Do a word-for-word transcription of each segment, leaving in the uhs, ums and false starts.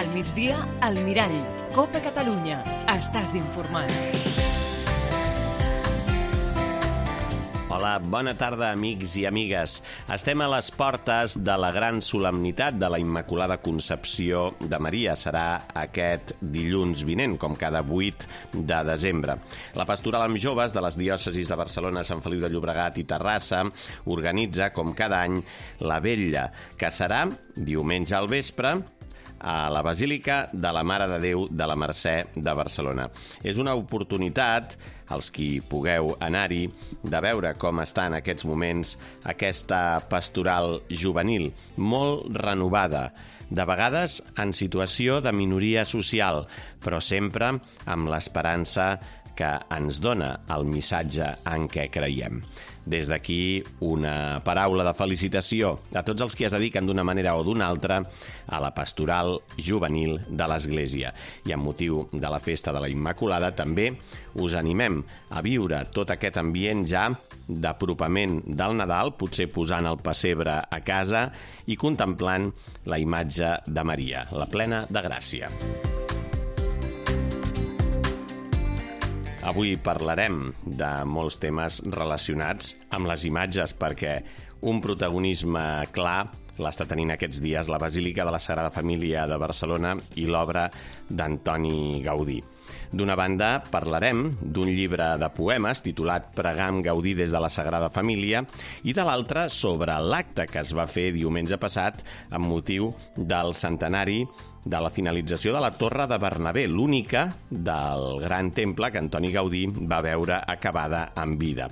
Al migdia, al Mirall. Copa Catalunya. Estàs informat. Hola, bona tarda, amics i amigues. Estem a les portes de la gran solemnitat de la Immaculada Concepció de Maria. Serà aquest dilluns vinent, com cada vuit de desembre. La Pastoral amb Joves de les diòcesis de Barcelona, Sant Feliu de Llobregat i Terrassa organitza, com cada any, la vetlla, que serà diumenge al vespre a la Basílica de la Mare de Déu de la Mercè de Barcelona. És una oportunitat, els qui pugueu anar-hi, de veure com està en aquests moments aquesta pastoral juvenil, molt renovada, de vegades en situació de minoria social, però sempre amb l'esperança que ens dona el missatge en què creiem. Des d'aquí, una paraula de felicitació a tots els que es dediquen d'una manera o d'una altra a la pastoral juvenil de l'Església. I amb motiu de la festa de la Immaculada també us animem a viure tot aquest ambient ja d'apropament del Nadal, potser posant el pessebre a casa i contemplant la imatge de Maria, la plena de gràcia. Avui parlarem de molts temes relacionats amb les imatges perquè un protagonisme clar l'està tenint aquests dies la Basílica de la Sagrada Família de Barcelona i l'obra d'Antoni Gaudí. D'una banda, parlarem d'un llibre de poemes titulat Pregar amb Gaudí des de la Sagrada Família i de l'altra sobre l'acte que es va fer diumenge passat amb motiu del centenari de la finalització de la Torre de Bernabé, l'única del gran temple que Antoni Gaudí va veure acabada en vida.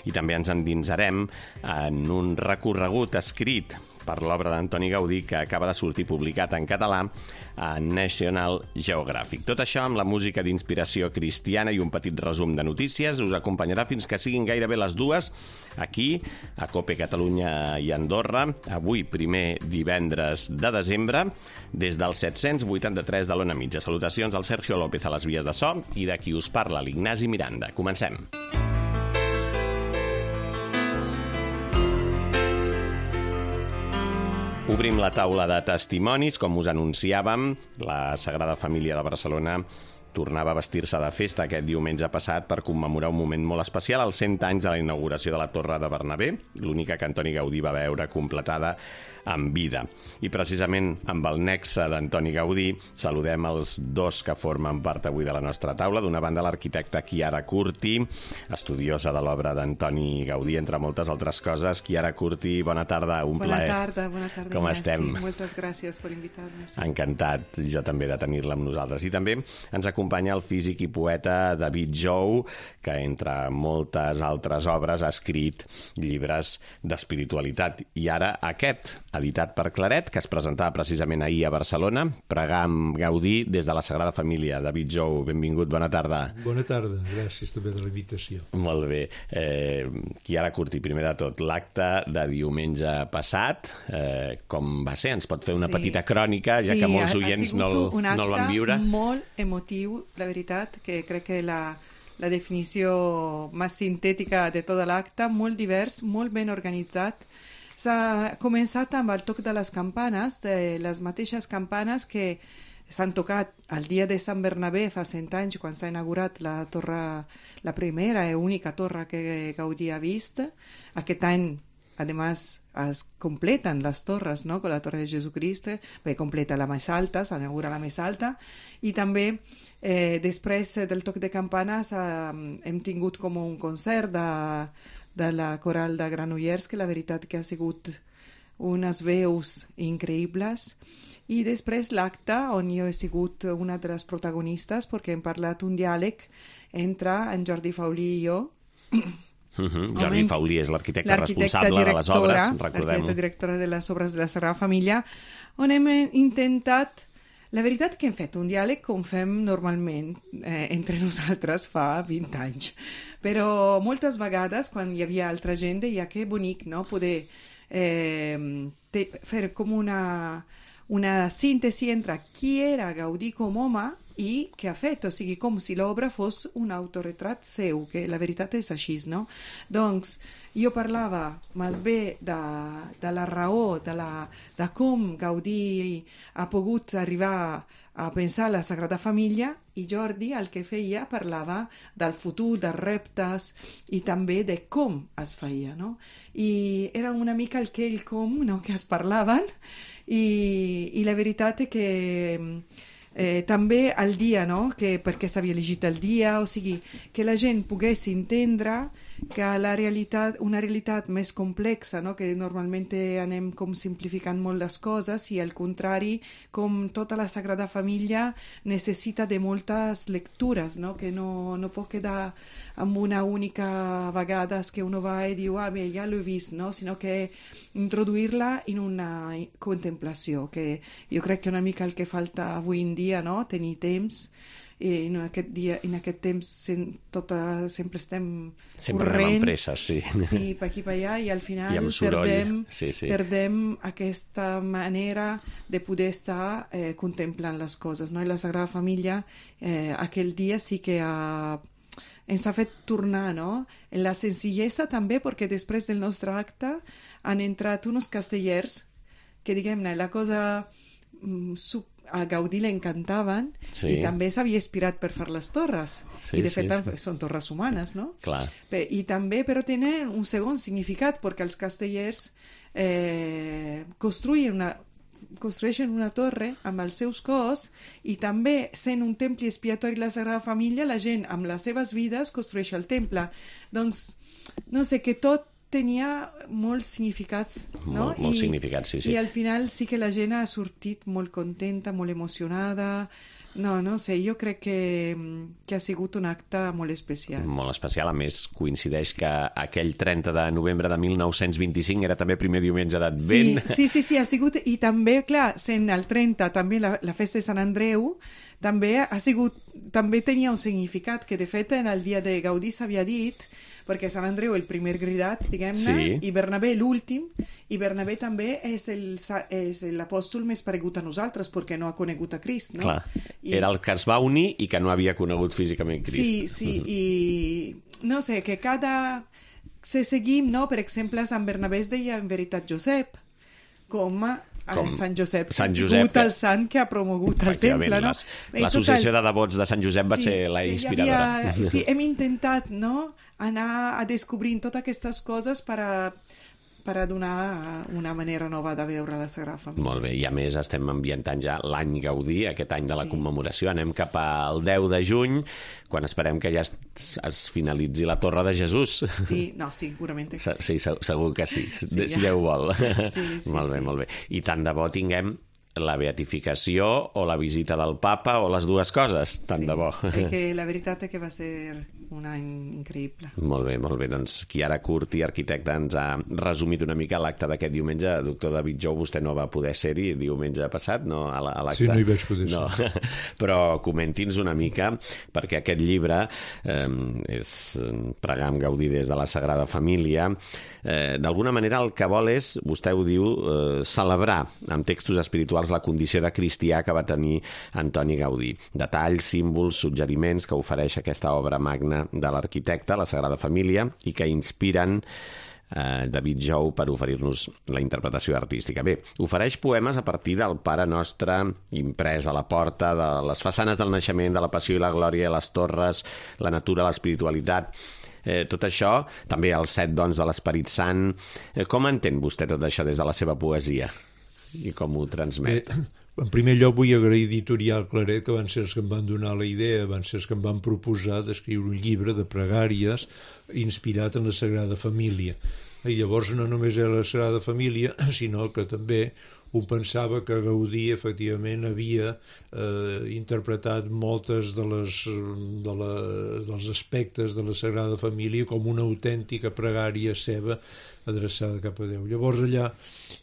I també ens endinsarem en un recorregut escrit per l'obra d'Antoni Gaudí que acaba de sortir publicat en català a National Geographic. Tot això amb la música d'inspiració cristiana i un petit resum de notícies us acompanyarà fins que siguin gairebé les dues aquí a Copa Catalunya i Andorra, avui primer divendres de desembre, des del set-cents vuitanta-tres de l'Ona Mitja. Salutacions al Sergio López a les vies de so i de qui us parla l'Ignasi Miranda. Comencem. Obrim la taula de testimonis, com us anunciàvem. La Sagrada Família de Barcelona tornava a vestir-se de festa aquest diumenge passat per commemorar un moment molt especial, els cent anys de la inauguració de la Torre de Bernabé, l'única que Antoni Gaudí va veure completada en vida. I precisament amb el nexe d'Antoni Gaudí saludem els dos que formen part avui de la nostra taula. D'una banda, l'arquitecta Chiara Curti, estudiosa de l'obra d'Antoni Gaudí, entre moltes altres coses. Chiara Curti, bona tarda, un bona plaer. Tarda, bona tarda. Com Ignasi. estem? Moltes gràcies per invitar-me. Sí. Encantat, jo també, de tenir-la amb nosaltres. I també ens acompanya el físic i poeta David Jou, que entre moltes altres obres ha escrit llibres d'espiritualitat. I ara aquest, editat per Claret, que es presentava precisament ahir a Barcelona, Pregar amb Gaudí des de la Sagrada Família. David Jou, benvingut, bona tarda. Bona tarda, gràcies també de la invitació. Molt bé. Eh, Chiara Curti, primer de tot, l'acte de diumenge passat, eh, com va ser? Ens pot fer una sí. petita crònica, ja sí, que molts ha, oients ha no, no el van viure? Sí, un acte molt emotiu, la veritat, que crec que la, la definició més sintètica de tot l'acte, molt divers, molt ben organitzat. S'ha començat amb el toc de les campanes, de les mateixes campanes que s'han tocat el dia de Sant Bernabé fa cent anys, quan s'ha inaugurat la torre, la primera i única torre que Gaudí ha vist. Aquest any, además, es completan las torres, ¿no? Con la Torre de Jesucristo, bé, completa la més alta, s'inaugura la més alta, i també eh, després del toc de campanes eh, hem tingut com un concert de de la coral de Granollers, que la veritat que ha sigut unes veus increïbles. I després l'acte, on jo he sigut una de les protagonistes, perquè hem parlat un diàleg entre en Jordi Faulí i jo. Uh-huh. Jordi on Faulí és l'arquitecte responsable de les obres, recordem-ho. L'arquitecta directora de les obres de la Sagrada Família, on hem intentat. La veritat que hem fet un diàleg com fem normalment eh, entre nosaltres fa vint anys. Però moltes vegades, quan hi havia altra gent, deia que bonic, no?, poder eh, te, fer com una, una síntesi entre qui era Gaudí com home i què ha fet, o sigui, com si l'obra fos un autoretrat seu, que la veritat és així, no? Doncs jo parlava més bé de, de la raó, de, la, de com Gaudí ha pogut arribar a pensar la Sagrada Família, i Jordi el que feia parlava del futur, dels reptes i també de com es feia, no? I era una mica el què i el com, no?, que es parlaven, i, i la veritat és que Eh, també el dia, no?, que perquè s'havia elegit el dia, o sigui, que la gent pogués entendre que la realitat, una realitat més complexa, no?, que normalment anem com simplificant molt les coses, i al contrari, com tota la Sagrada Família necessita de moltes lectures, no?, que no, no pot quedar amb una única vegada que uno va i diu, ah, bé, ja l'he vist, no?, sinó que introduir-la en una contemplació, que jo crec que una mica el que falta avui en dia, no?, tenir temps, i en aquest dia, en aquest temps sem, tota, sempre estem sempre corrent, anem amb presses, sí. Sí, per aquí per allà, i al final I perdem, sí, sí. perdem aquesta manera de poder estar eh, contemplant les coses, no? I la Sagrada Família eh, aquell dia sí que ha ens ha fet tornar, no?, en la senzillesa també, perquè després del nostre acte han entrat uns castellers que, diguem-ne, la cosa mm, sub, a Gaudí l'encantaven, sí. I també s'havia inspirat per fer les torres, sí, i de fet sí, sí. Són torres humanes, no? Clar. I també, però tenen un segon significat, perquè els castellers eh, construïen una construeixen una torre amb els seus cos, i també, sent un temple expiatori la Sagrada Família, la gent amb les seves vides construeix el temple. Doncs, no sé, que tot tenia molts significats, no? Molt, molts I, significats, sí, sí. I al final sí que la gent ha sortit molt contenta, molt emocionada. No, no sé, jo crec que, que ha sigut un acte molt especial. Molt especial, a més coincideix que aquell trenta de novembre de mil nou-cents vint-i-cinc era també primer diumenge d'Advent. Sí, sí, sí, sí, ha sigut, i també, clar, sent el trenta, també la, la festa de Sant Andreu, també ha sigut, també tenia un significat, que de fet en el dia de Gaudí s'havia dit, perquè Sant Andreu el primer gridat, diguem-ne, sí. I Bernabé l'últim, i Bernabé també és, el, és l'apòstol més paregut a nosaltres, perquè no ha conegut a Crist, no? Clar, I... era el que es va unir i que no havia conegut físicament Crist. Sí, sí, uh-huh. I no sé, que cada... Se seguim, no? Per exemple, a Sant Bernabé es deia en veritat Josep, com a Com Sant Josep, Sant ha Josep, sigut el sant que ha promogut el temple, no? L'associació de devots de Sant Josep va sí, ser la inspiradora. Havia, sí, hem intentat, no?, anar a descobrir totes aquestes coses per a, per a donar una manera nova de veure la Sagrada Família. Molt bé, i a més estem ambientant ja l'any Gaudí, aquest any de la sí. commemoració. Anem cap al deu de juny, quan esperem que ja es, es finalitzi la Torre de Jesús. Sí, no, segurament que sí. Sí, segur que sí, sí si ja. Déu vol. Sí, sí, molt bé, sí. molt bé. I tant de bo tinguem la beatificació o la visita del papa o les dues coses, tant sí, de bo. Que la veritat és que va ser un any increïble. Molt bé, molt bé. Doncs Chiara Curti, arquitecte, ens ha resumit una mica l'acte d'aquest diumenge. Doctor David Jou, vostè no va poder ser-hi diumenge passat, no? A l'acte. Sí, no hi vaig poder no. ser. Però comenti'ns una mica, perquè aquest llibre eh, és Pregar amb Gaudí des de la Sagrada Família. Eh, d'alguna manera el que vol és, vostè ho diu, eh, celebrar amb textos espirituals la condició de cristià que va tenir Antoni Gaudí. Detalls, símbols, suggeriments que ofereix aquesta obra magna de l'arquitecte, la Sagrada Família, i que inspiren eh, David Jou per oferir-nos la interpretació artística. Bé, ofereix poemes a partir del Pare Nostre imprès a la porta, de les façanes del naixement, de la passió i la glòria, les torres, la natura, l'espiritualitat. Eh, tot això, també els set dons de l'Esperit Sant. Eh, com entén vostè tot això des de la seva poesia? I com ho transmet? Bé, en primer lloc vull agrair a Editorial Claret, que van ser els que em van donar la idea, van ser els que em van proposar d'escriure un llibre de pregàries inspirat en la Sagrada Família. I llavors no només era la Sagrada Família, sinó que també un pensava que Gaudí efectivament havia eh, interpretat moltes de les, de la, dels aspectes de la Sagrada Família com una autèntica pregària seva adreçada cap a Déu. Llavors allà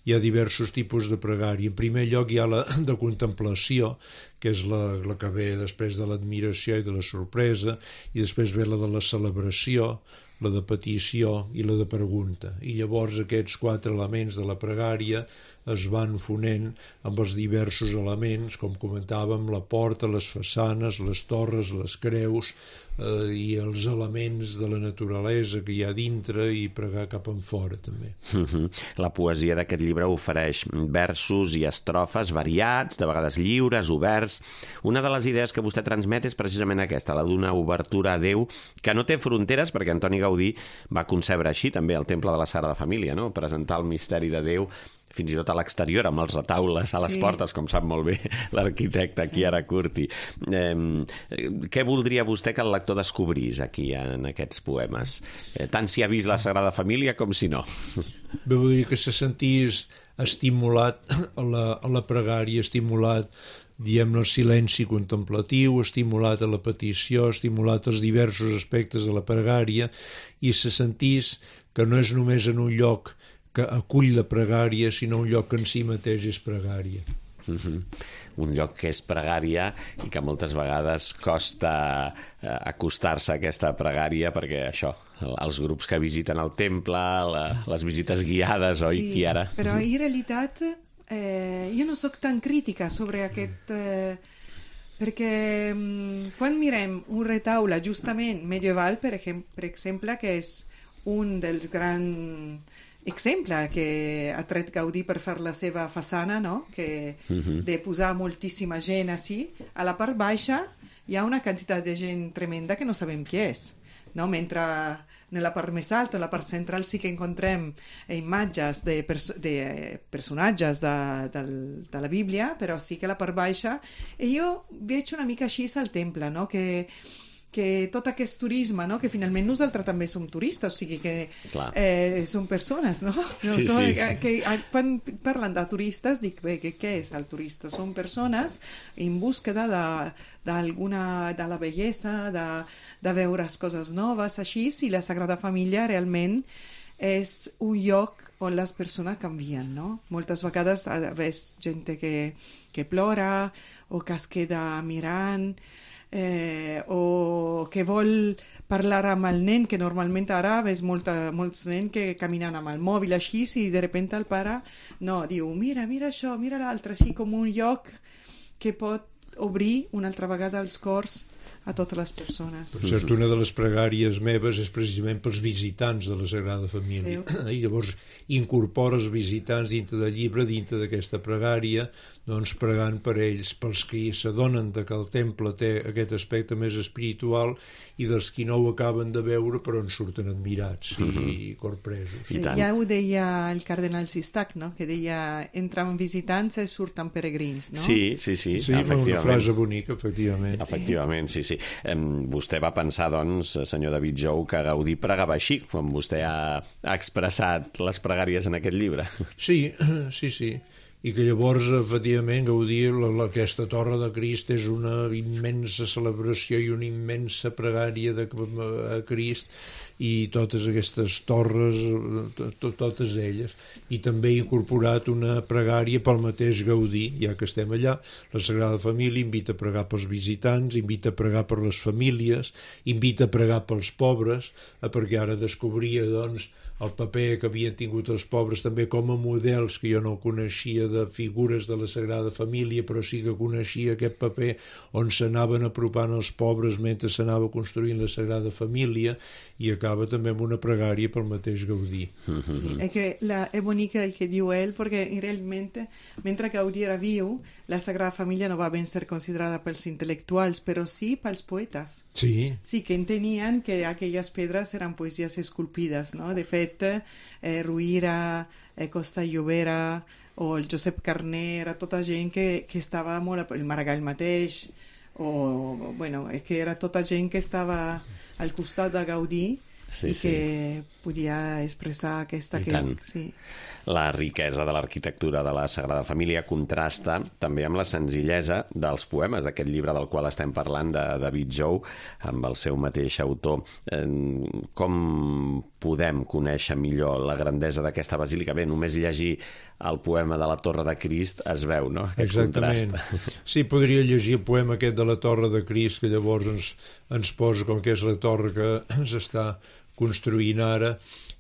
hi ha diversos tipus de pregària. En primer lloc hi ha la de contemplació, que és la, la que ve després de l'admiració i de la sorpresa, i després ve la de la celebració, la de petició i la de pregunta. I llavors aquests quatre elements de la pregària es van fonent amb els diversos elements, com comentàvem, la porta, les façanes, les torres, les creus, eh, i els elements de la naturalesa que hi ha dintre i pregar cap en fora també. Uh-huh. La poesia d'aquest llibre ofereix versos i estrofes variats, de vegades lliures, oberts. Una de les idees que vostè transmet és precisament aquesta, la d'una obertura a Déu que no té fronteres, perquè Antoni Gaudí va concebre així també el Temple de la Sagrada Família, no? Presentar el misteri de Déu fins i tot a l'exterior, amb els retaules a les sí. portes, com sap molt bé l'arquitecte sí. Chiara Curti. Eh, què voldria vostè que el lector descobrís aquí, en aquests poemes? Eh, tant si ha vist la Sagrada Família com si no. Bé, vull dir que se sentís estimulat a la, a la pregària, estimulat diguem-ne el silenci contemplatiu, estimulat a la petició, estimulat als diversos aspectes de la pregària, i se sentís que no és només en un lloc que acull la pregària, sinó un lloc que en si mateix és pregària. Uh-huh. Un lloc que és pregària i que moltes vegades costa eh, acostar-se a aquesta pregària, perquè això, els grups que visiten el temple, la, les visites guiades, oi, sí, Chiara? Però en realitat eh, jo no sóc tan crítica sobre aquest... Eh, perquè mm, quan mirem un retaule justament medieval, per, ejem- per exemple, que és un dels grans exemple que ha tret Gaudí per fer la seva façana, no? Que uh-huh. de posar moltíssima gent així, a la part baixa hi ha una quantitat de gent tremenda que no sabem qui és, no? Mentre en la part més alta, en la part central, sí que encontrem imatges de, perso- de personatges de, de, de la Bíblia, però sí que a la part baixa, i jo veig una mica així al temple, no? Que que tot aquest turisme, no? Que finalment nosaltres també som turistes, o sigui que eh, som persones, no? no sí, som, sí. Que, que, quan parlen de turistes, dic, bé, que, què és el turista? Són persones en búsqueda de, d'alguna, de la bellesa, de, de veure coses noves, així, i la Sagrada Família realment és un lloc on les persones canvien, no? Moltes vegades ves gent que, que plora o que es queda mirant, Eh, o que vol parlar amb el nen, que normalment ara ves molta, molts nens que caminen amb el mòbil així, i de repente el pare no, diu, mira, mira això, mira l'altre, així com un lloc que pot obrir una altra vegada els cors a totes les persones. Per cert, una de les pregàries meves és precisament pels visitants de la Sagrada Família. I llavors incorpora els visitants dintre del llibre, dintre d'aquesta pregària, doncs pregant per ells, pels que s'adonen que el temple té aquest aspecte més espiritual i dels qui no ho acaben de veure però en surten admirats i, uh-huh. i corpresos. I ja ho deia el cardenal Sistac, no? Que deia, entren visitants i surten peregrins, no? Sí, sí, sí, sí efectivament. Una frase bonica, efectivament. Efectivament, sí, sí. Um, vostè va pensar, doncs, senyor David Jou, que Gaudí pregava així, quan vostè ha, ha expressat les pregàries en aquest llibre. Sí, sí, sí. I que llavors, efectivament, Gaudí, la, la, aquesta Torre de Crist és una immensa celebració i una immensa pregària de, a Crist, i totes aquestes torres, to, to, totes elles. I també ha incorporat una pregària pel mateix Gaudí, ja que estem allà. La Sagrada Família invita a pregar pels visitants, invita a pregar per les famílies, invita a pregar pels pobres, perquè ara descobria, doncs, el paper que havien tingut els pobres també com a models, que jo no coneixia, de figures de la Sagrada Família, però sí que coneixia aquest paper on s'anaven apropant els pobres mentre s'anava construint la Sagrada Família, i acaba també amb una pregària pel mateix Gaudí. Sí, és que la, és bonic el que diu ell, perquè realment, mentre Gaudí era viu, la Sagrada Família no va ben ser considerada pels intel·lectuals, però sí pels poetes. Sí. Sí, que entenien que aquelles pedres eren poesies esculpides, no? De fet, eh, Ruïra, eh, Costa Llobera o el Josep Carner, era tota gent que, que estava molt... El Maragall mateix, o, bueno, és que era tota gent que estava al costat de Gaudí, sí, i que sí. podia expressar aquesta... I que, tant. Sí. La riquesa de l'arquitectura de la Sagrada Família contrasta també amb la senzillesa dels poemes d'aquest llibre del qual estem parlant, de David Jou, amb el seu mateix autor. Com podem conèixer millor la grandesa d'aquesta basílica? Bé, només llegir el poema de la Torre de Crist es veu, no? Aquest Exactament. Contrast. Sí, podria llegir el poema aquest de la Torre de Crist, que llavors ens, ens posa com que és la torre que s'està construint ara.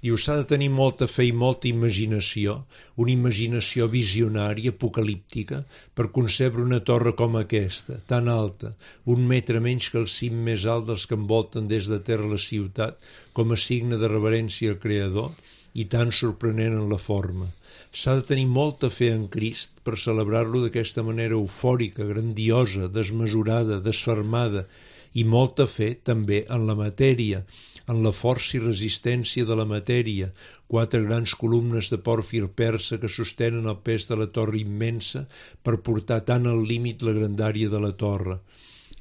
Diu, s'ha de tenir molta fe i molta imaginació, una imaginació visionària, apocalíptica, per concebre una torre com aquesta, tan alta, un metre menys que el cim més alt dels que envolten des de terra la ciutat, com a signe de reverència al Creador, i tan sorprenent en la forma. S'ha de tenir molta fe en Crist per celebrar-lo d'aquesta manera eufòrica, grandiosa, desmesurada, desfermada, i molta fe també en la matèria, en la força i resistència de la matèria, quatre grans columnes de pòrfir persa que sostenen el pes de la torre immensa per portar tan al límit la grandària de la torre.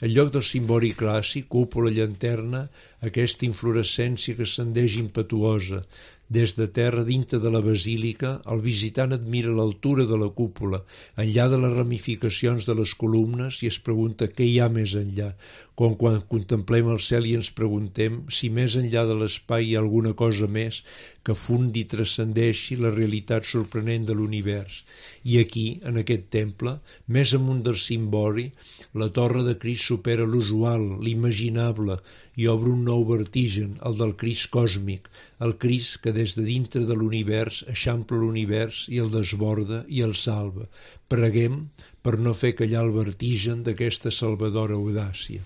En lloc del cimbori clàssic, cúpula, llanterna, aquesta inflorescència que ascendeix impetuosa. Des de terra, dintre de la basílica, el visitant admira l'altura de la cúpula, enllà de les ramificacions de les columnes, i es pregunta què hi ha més enllà, com quan contemplem el cel i ens preguntem si més enllà de l'espai hi ha alguna cosa més que fundi i transcendeixi la realitat sorprenent de l'univers. I aquí, en aquest temple, més amunt del cimbori, la torre de Crist supera l'usual, l'imaginable, i obre un nou vertigen, el del Crist còsmic, el Crist que des de dintre de l'univers eixampla l'univers i el desborda i el salva. Preguem per no fer callar el vertigen d'aquesta salvadora audàcia.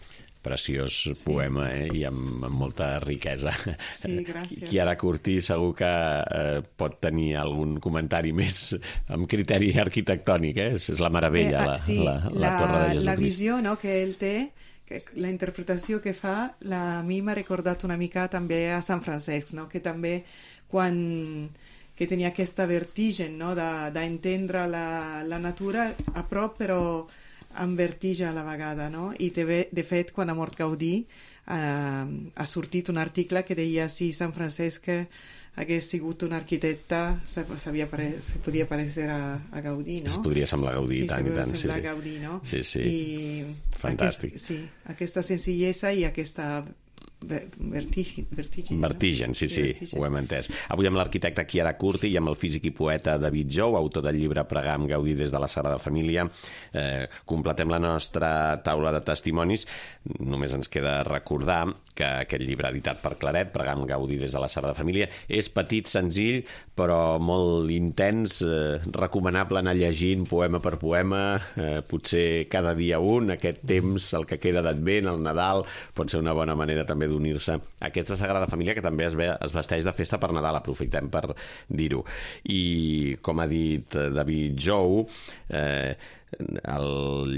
Preciós Sí. poema, eh? I amb, amb molta riquesa. Sí, gràcies. Chiara Curtí segur que eh, pot tenir algun comentari més amb criteri arquitectònic, eh? És la meravella, Eh, ah, la, sí, la, la, Torre de Jesucrist. La visió, no?, que ell té, que la interpretació que fa, la, a mi m'ha recordat una mica també a Sant Francesc, no?, que també quan que tenia aquesta vertigen, no?, d'entendre la, la natura a prop, però amb vertigen a la vegada, no? I de, de fet, quan ha mort Gaudí, eh, ha sortit un article que deia si Sant Francesc hagués sigut un arquitecte, sabia pare... se podia parecer a, a Gaudí, no? Es podria semblar Gaudí, sí, tant i tant. Sí, Sí, sí. Gaudí, no? Sí, sí. I fantàstic. Aquest, sí, aquesta senzillesa i aquesta vertigen. Vertigen, Vertigen, no? sí, sí, vertigen. ho hem entès. Avui amb l'arquitecte Chiara Curti i amb el físic i poeta David Jou, autor del llibre Pregar amb Gaudí des de la Sagrada Família. Eh, completem la nostra taula de testimonis. Només ens queda recordar que aquest llibre editat per Claret, Pregar amb Gaudí des de la Sagrada Família, és petit, senzill, però molt intens, eh, recomanable anar llegint poema per poema, eh, potser cada dia un, aquest temps, el que queda d'Advent, el Nadal, pot ser una bona manera també d'unir-se a aquesta Sagrada Família que també es, ve, es vesteix de festa per Nadal, aprofitem per dir-ho. I com ha dit David Jou, eh, el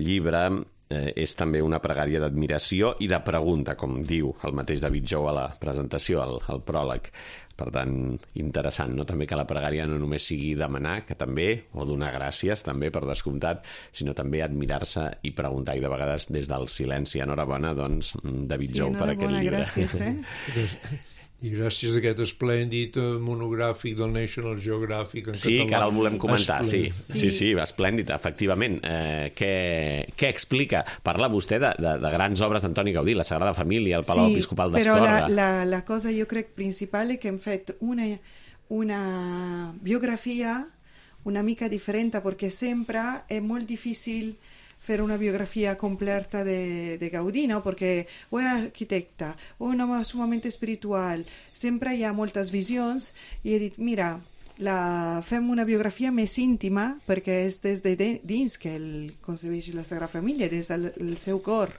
llibre eh, és també una pregària d'admiració i de pregunta, com diu el mateix David Jou a la presentació, al, al pròleg. Per tant, interessant, no? També que la pregària no només sigui demanar, que també, o donar gràcies, també, per descomptat, sinó també admirar-se i preguntar, i de vegades des del silenci. Enhorabona, doncs, David Sí, Jou, per aquest llibre. Gràcies, eh? I gràcies a aquest esplèndid monogràfic del National Geographic en Sí, català. que ara el volem comentar, sí. Esplèndid. Sí, sí, esplèndid, efectivament. Eh, què, què explica? Parla vostè de, de, de grans obres d'Antoni Gaudí, la Sagrada Família, el Palau Sí, Episcopal però la, d'Astorga. la, la cosa jo crec principal és que hem fet una, una biografia una mica differente, perché sempre è molto difficile fare una biografia completa de, de Gaudí, no? Perquè o és arquitecte, o un home sumamente espiritual, sempre hi ha moltes visions, i he dit, mira, la, fem una biografia més íntima, perquè és des de dins que el concebeix la Sagrada Família, des del el seu cor.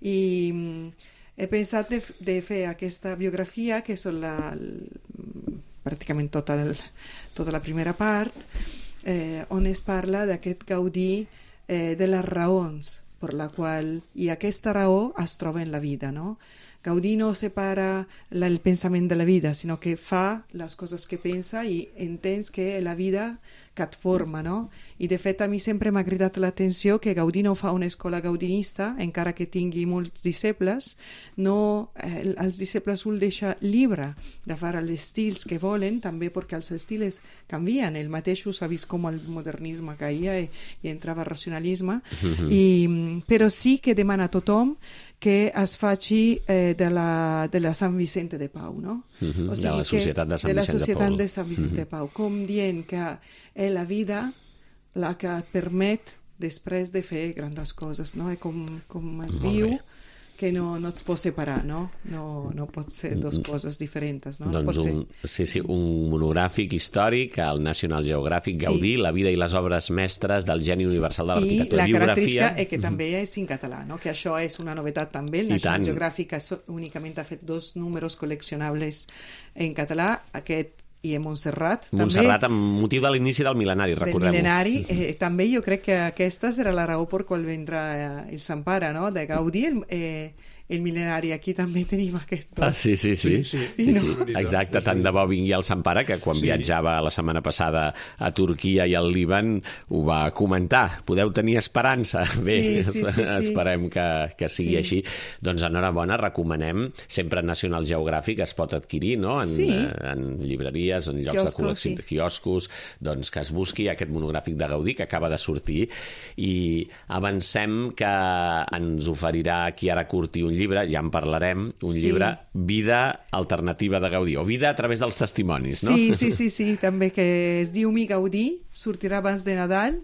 I he pensat de, de fer aquesta biografia, que són la, pràcticament tota, el, tota la primera part, eh, on es parla d'aquest Gaudí, eh, de les raons per la qual, i aquesta raó es troba en la vida, no? Gaudí no separa la, el pensament de la vida, sinó que fa les coses que pensa i entens que la vida que et forma, no? I de fet a mi sempre m'ha cridat l'atenció que Gaudí no fa una escola gaudinista, encara que tingui molts disciples, no, eh, els disciples el deixa llibre de fer els estils que volen, també perquè els estils canvien, ell mateix s'ha vist com el modernisme caia i, i entrava el racionalisme, mm-hmm. I, però sí que demana a tothom que es faci eh, de, la, de la Sant Vicente de Pau, no? Mm-hmm. O sigui, de la Societat de Sant de la Vicent de Societat Pau. de Sant Vicent mm-hmm. de Pau, com dient que és la vida la que et permet després de fer grans coses, no? I com, com es Molt viu bé. que no, no es pot separar, no? No, no pot ser dues coses diferents, no? Doncs pot ser... un, sí, sí, un monogràfic històric al National Geographic, Gaudí, sí. La vida i les obres mestres del geni universal de l'arquitectura. I la biografia... característica és que també és en català, no? Que això és una novetat també. El National Geographic únicament ha fet dos números col·leccionables en català, aquest i en Montserrat. Montserrat, també, amb motiu de l'inici del mil·lenari, recordem-ho. Del mil·lenari, eh, també jo crec que aquesta serà la raó per qual vendrà eh, el Sant Pare, no? De Gaudí, el, eh, el mil·lenari. Aquí també tenim aquest dos. Ah, sí, sí, sí. sí, sí, sí, sí, no? sí. Exacte, tant de bo vingui el Sant Pare, que quan sí. viatjava la setmana passada a Turquia i al Líban ho va comentar. Podeu tenir esperança. Bé, sí, sí, sí, sí. esperem que, que sigui sí. així. Doncs enhorabona, recomanem. Sempre National Geographic es pot adquirir, no? En, sí. en llibreries, en llocs quioscos, de col·lecció, sí. quioscos, doncs que es busqui aquest monogràfic de Gaudí que acaba de sortir i avancem que ens oferirà Chiara Curti un llibre, ja en parlarem, un sí. llibre Vida alternativa de Gaudí, o Vida a través dels testimonis, no? Sí, sí, sí, sí, també, que es diu Mi Gaudí, sortirà abans de Nadal.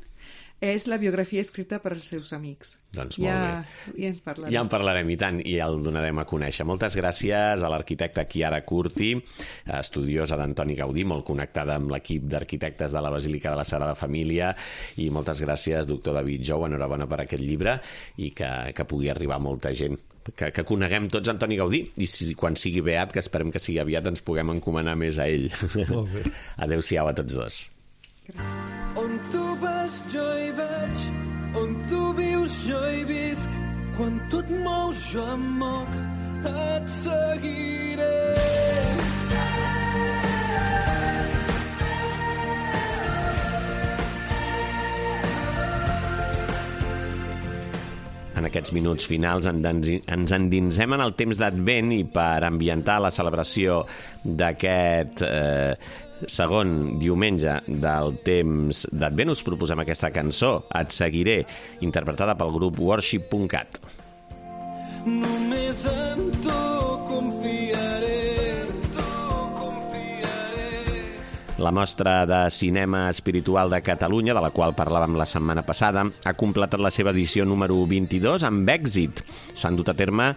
És la biografia escrita per als seus amics. Doncs molt ja, bé. Ja en parlarem. Ja en parlarem, i tant, i el donarem a conèixer. Moltes gràcies a l'arquitecta Chiara Curti, estudiosa d'Antoni Gaudí, molt connectada amb l'equip d'arquitectes de la Basílica de la Sagrada Família, i moltes gràcies, doctor David Jou, enhorabona per aquest llibre, i que, que pugui arribar a molta gent. Que, que coneguem tots Antoni Gaudí, i si, quan sigui beat, que esperem que sigui aviat, ens puguem encomanar més a ell. Molt bé. Adéu-siau a tots dos. Gràcies. On tu vas jo hi vaig, on tu vius jo hi visc, quan tu et mous jo em moc, et seguiré. En aquests minuts finals ens endinsem en el temps d'Advent, i per ambientar la celebració d'aquest eh, segon diumenge del temps d'Advent us proposem aquesta cançó, Et seguiré, interpretada pel grup worship punt cat. Només en tu confiaré. La Mostra de Cinema Espiritual de Catalunya, de la qual parlàvem la setmana passada, ha completat la seva edició número vint-i-dos amb èxit. S'han dut a terme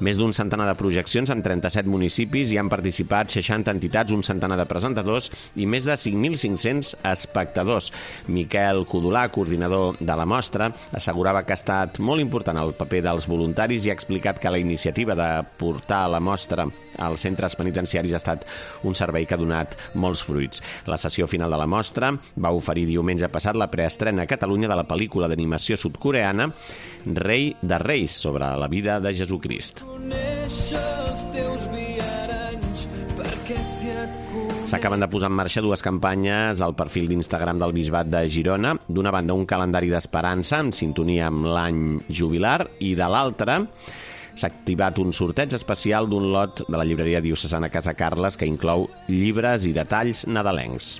més d'un centenar de projeccions en trenta-set municipis i han participat seixanta entitats, un centenar de presentadors i més de cinc mil cinc-cents espectadors. Miquel Codolà, coordinador de la mostra, assegurava que ha estat molt important el paper dels voluntaris i ha explicat que la iniciativa de portar la mostra als centres penitenciaris ha estat un servei que ha donat molts fruits. La sessió final de la mostra va oferir diumenge passat la preestrena a Catalunya de la pel·lícula d'animació sud-coreana Rei de Reis, sobre la vida de Jesucrist. S'acaben de posar en marxa dues campanyes al perfil d'Instagram del Bisbat de Girona. D'una banda, un calendari d'esperança en sintonia amb l'any jubilar, i de l'altra s'ha activat un sorteig especial d'un lot de la llibreria diocesana Casa Carles que inclou llibres i detalls nadalencs.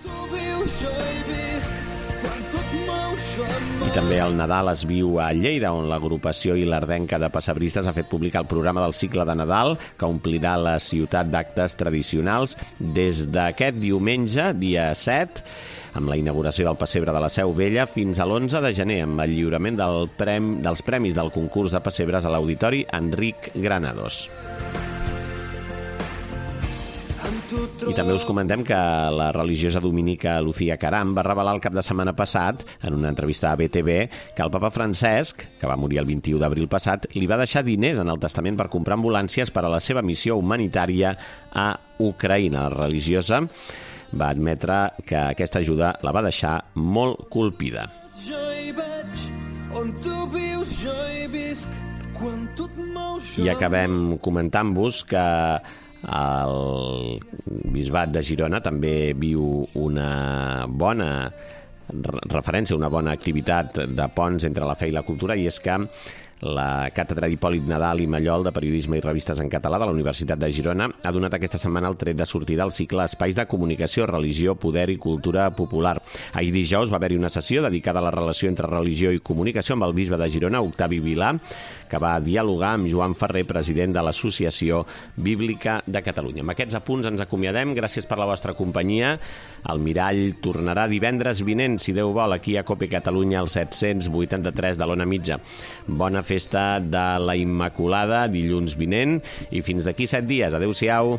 I també el Nadal es viu a Lleida, on l'agrupació ilerdenca de pessebristes ha fet publicar el programa del cicle de Nadal, que omplirà la ciutat d'actes tradicionals des d'aquest diumenge, dia set, amb la inauguració del pessebre de la Seu Vella, fins a l'onze de gener, amb el lliurament del prem, dels premis del concurs de pessebres a l'Auditori Enric Granados. I també us comentem que la religiosa dominica Lucía Caram va revelar el cap de setmana passat, en una entrevista a B T V, que el papa Francesc, que va morir el vint-i-u d'abril passat, li va deixar diners en el testament per comprar ambulàncies per a la seva missió humanitària a Ucraïna. La religiosa va admetre que aquesta ajuda la va deixar molt colpida. Jo hi vaig, on tu vius, jo hi visc, quan tu et mous, jo... I acabem comentant-vos que el Bisbat de Girona també viu una bona referència, una bona activitat de ponts entre la fe i la cultura, i és que la Càtedra d'Hipòlit Nadal i Mallol de Periodisme i Revistes en Català de la Universitat de Girona ha donat aquesta setmana el tret de sortida al cicle Espais de Comunicació, Religió, Poder i Cultura Popular. Ahir dijous va haver-hi una sessió dedicada a la relació entre religió i comunicació amb el bisbe de Girona, Octavi Vilà, que va dialogar amb Joan Ferrer, president de l'Associació Bíblica de Catalunya. Amb aquests apunts ens acomiadem. Gràcies per la vostra companyia. El Mirall tornarà divendres vinent, si Déu vol, aquí a Cope Catalunya, al set cents vuitanta-tres de l'Ona Mitja. Bona festa festa de la Immaculada, dilluns vinent, i fins d'aquí set dies. Adéu-siau.